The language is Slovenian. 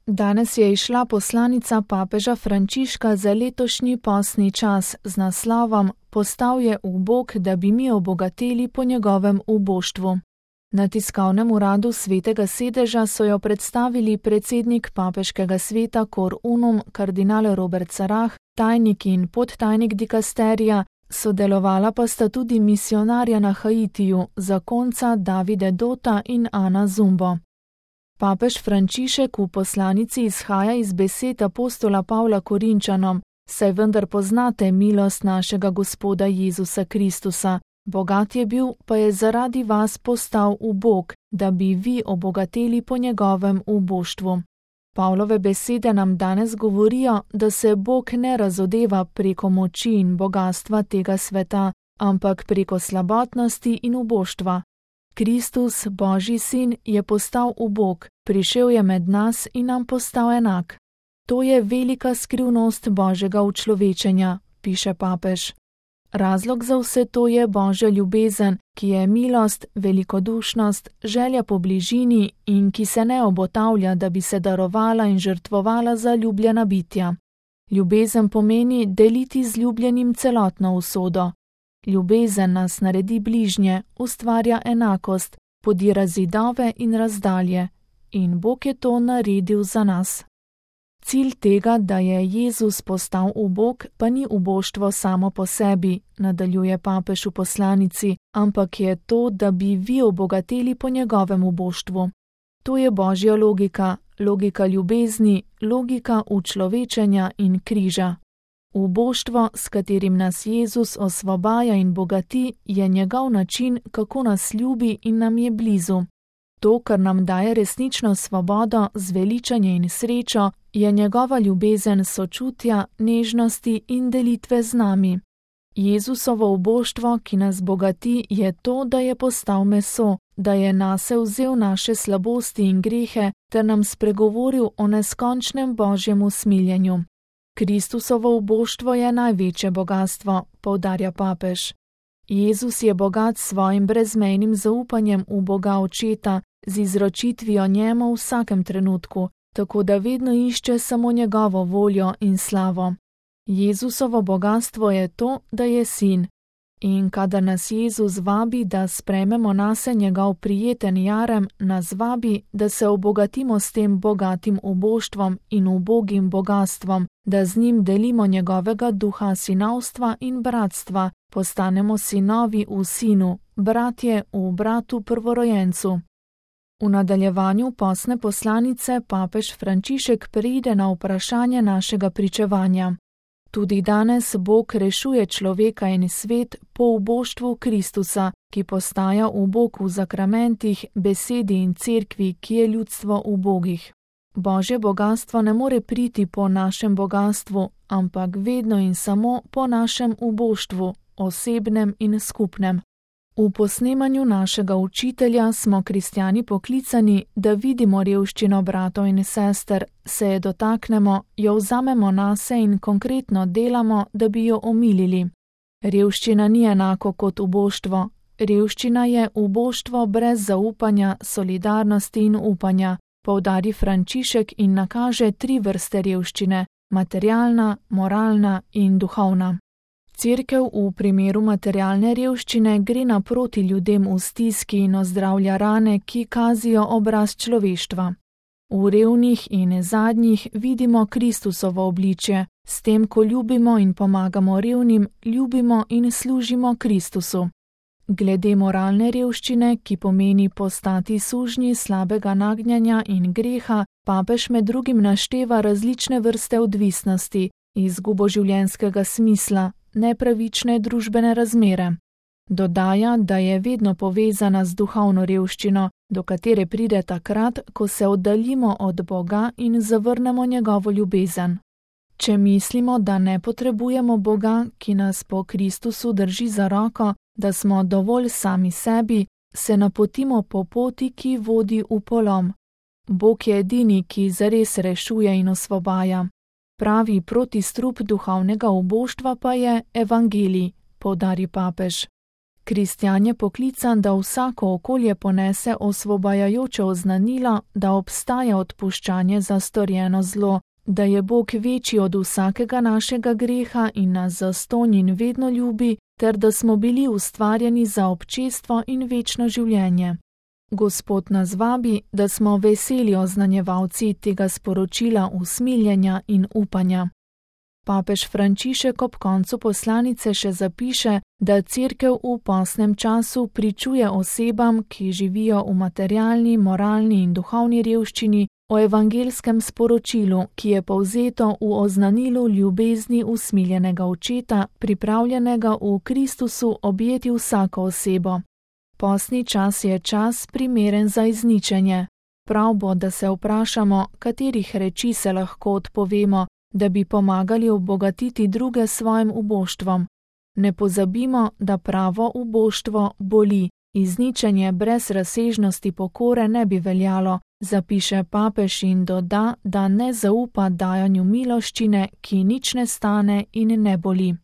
Danes je izšla poslanica papeža Frančiška za letošnji postni čas z naslovom Postal je ubog, da bi mi obogateli po njegovem uboštvu. Na tiskovnem uradu Svetega sedeža so jo predstavili predsednik papeškega sveta Cor Unum kardinal Robert Sarah, tajnik in podtajnik dikasterija, sodelovala pa sta tudi misionarja na Haitiju, zakonca Davide Dota in Ana Zumbo. Papež Frančišek v poslanici izhaja iz besed apostola Pavla Korinčanom, saj vendar poznate milost našega Gospoda Jezusa Kristusa. Bogat je bil, pa je zaradi vas postal ubog, da bi vi obogateli po njegovem uboštvu. Pavlove besede nam danes govorijo, da se Bog ne razodeva preko moči in bogatstva tega sveta, ampak preko slabotnosti in uboštva. Kristus, Božji sin, je postal ubog, prišel je med nas in nam postal enak. To je velika skrivnost Božjega učlovečenja, piše papež. Razlog za vse to je Božja ljubezen, ki je milost, velikodušnost, želja po bližini in ki se ne obotavlja, da bi se darovala in žrtvovala za ljubljena bitja. Ljubezen pomeni deliti z ljubljenim celotno usodo. Ljubezen nas naredi bližnje, ustvarja enakost, podira zidove in razdalje. In Bog je to naredil za nas. Cilj tega, da je Jezus postal ubog, pa ni uboštvo samo po sebi, nadaljuje papež v poslanici, ampak je to, da bi vi obogateli po njegovem uboštvu. To je Božja logika, logika ljubezni, logika učlovečenja in križa. Uboštvo, s katerim nas Jezus osvobaja in bogati, je njegov način, kako nas ljubi in nam je blizu. To, kar nam daje resnično svobodo, zveličanje in srečo, je njegova ljubezen sočutja, nežnosti in delitve z nami. Jezusovo uboštvo, ki nas bogati, je to, da je postal meso, da je nase vzel naše slabosti in grehe ter nam spregovoril o neskončnem Božjem usmiljenju. Kristusovo uboštvo je največje bogastvo, poudarja papež. Jezus je bogat s svojim brezmejnim zaupanjem v Boga Očeta, z izročitvijo njemu v vsakem trenutku, tako da vedno išče samo njegovo voljo in slavo. Jezusovo bogatstvo je to, da je sin. In kadar nas Jezus vabi, da sprejmemo nase njegov prijeten jarem, nas vabi, da se obogatimo s tem bogatim uboštvom in ubogim bogatstvom, da z njim delimo njegovega duha sinovstva in bratstva, postanemo sinovi v sinu, bratje v bratu prvorojencu. V nadaljevanju postne poslanice papež Frančišek preide na vprašanje našega pričevanja. Tudi danes Bog rešuje človeka in svet po uboštvu Kristusa, ki postaja ubog v zakramentih, besedi in cerkvi, ki je ljudstvo ubogih. Božje bogatstvo ne more priti po našem bogatstvu, ampak vedno in samo po našem uboštvu, osebnem in skupnem. V posnemanju našega učitelja smo kristjani poklicani, da vidimo revščino bratov in sester, se je dotaknemo, jo vzamemo nase in konkretno delamo, da bi jo omilili. Revščina ni enako kot uboštvo. Revščina je uboštvo brez zaupanja, solidarnosti in upanja, poudari Frančišek in nakaže 3 vrste revščine: materialna, moralna in duhovna. Cerkev v primeru materialne revščine gre naproti ljudem v stiski in ozdravlja rane, ki kazijo obraz človeštva. V revnih in zadnjih vidimo Kristusovo obličje, s tem, ko ljubimo in pomagamo revnim, ljubimo in služimo Kristusu. Glede moralne revščine, ki pomeni postati sužnji slabega nagnjanja in greha, papež med drugim našteva različne vrste odvisnosti, izgubo življenjskega smisla, nepravične družbene razmere. Dodaja, da je vedno povezana z duhovno revščino, do katere pride takrat, ko se oddaljimo od Boga in zavrnemo njegovo ljubezen. Če mislimo, da ne potrebujemo Boga, ki nas po Kristusu drži za roko, da smo dovolj sami sebi, se napotimo po poti, ki vodi v polom. Bog je edini, ki zares rešuje in osvobaja. Pravi protistrup duhovnega uboštva pa je evangelij, poudari papež. Kristjan je poklican, da vsako okolje ponese osvobajajoče oznanilo, da obstaja odpuščanje za storjeno zlo, da je Bog večji od vsakega našega greha in nas zastonj in vedno ljubi, ter da smo bili ustvarjeni za občestvo in večno življenje. Gospod nas vabi, da smo veseli oznanjevalci tega sporočila usmiljenja in upanja. Papež Frančišek ob koncu poslanice še zapiše, da Cerkev v postnem času pričuje osebam, ki živijo v materialni, moralni in duhovni revščini, o evangelskem sporočilu, ki je povzeto v oznanilu ljubezni usmiljenega očeta, pripravljenega v Kristusu objeti vsako osebo. Postni čas je čas primeren za izničenje. Prav bo, da se vprašamo, katerih reči se lahko odpovemo, da bi pomagali obogatiti druge s svojim uboštvom. Ne pozabimo, da pravo uboštvo boli, izničenje brez razsežnosti pokore ne bi veljalo, zapiše papež in doda, da ne zaupa dajanju miloščine, ki nič ne stane in ne boli.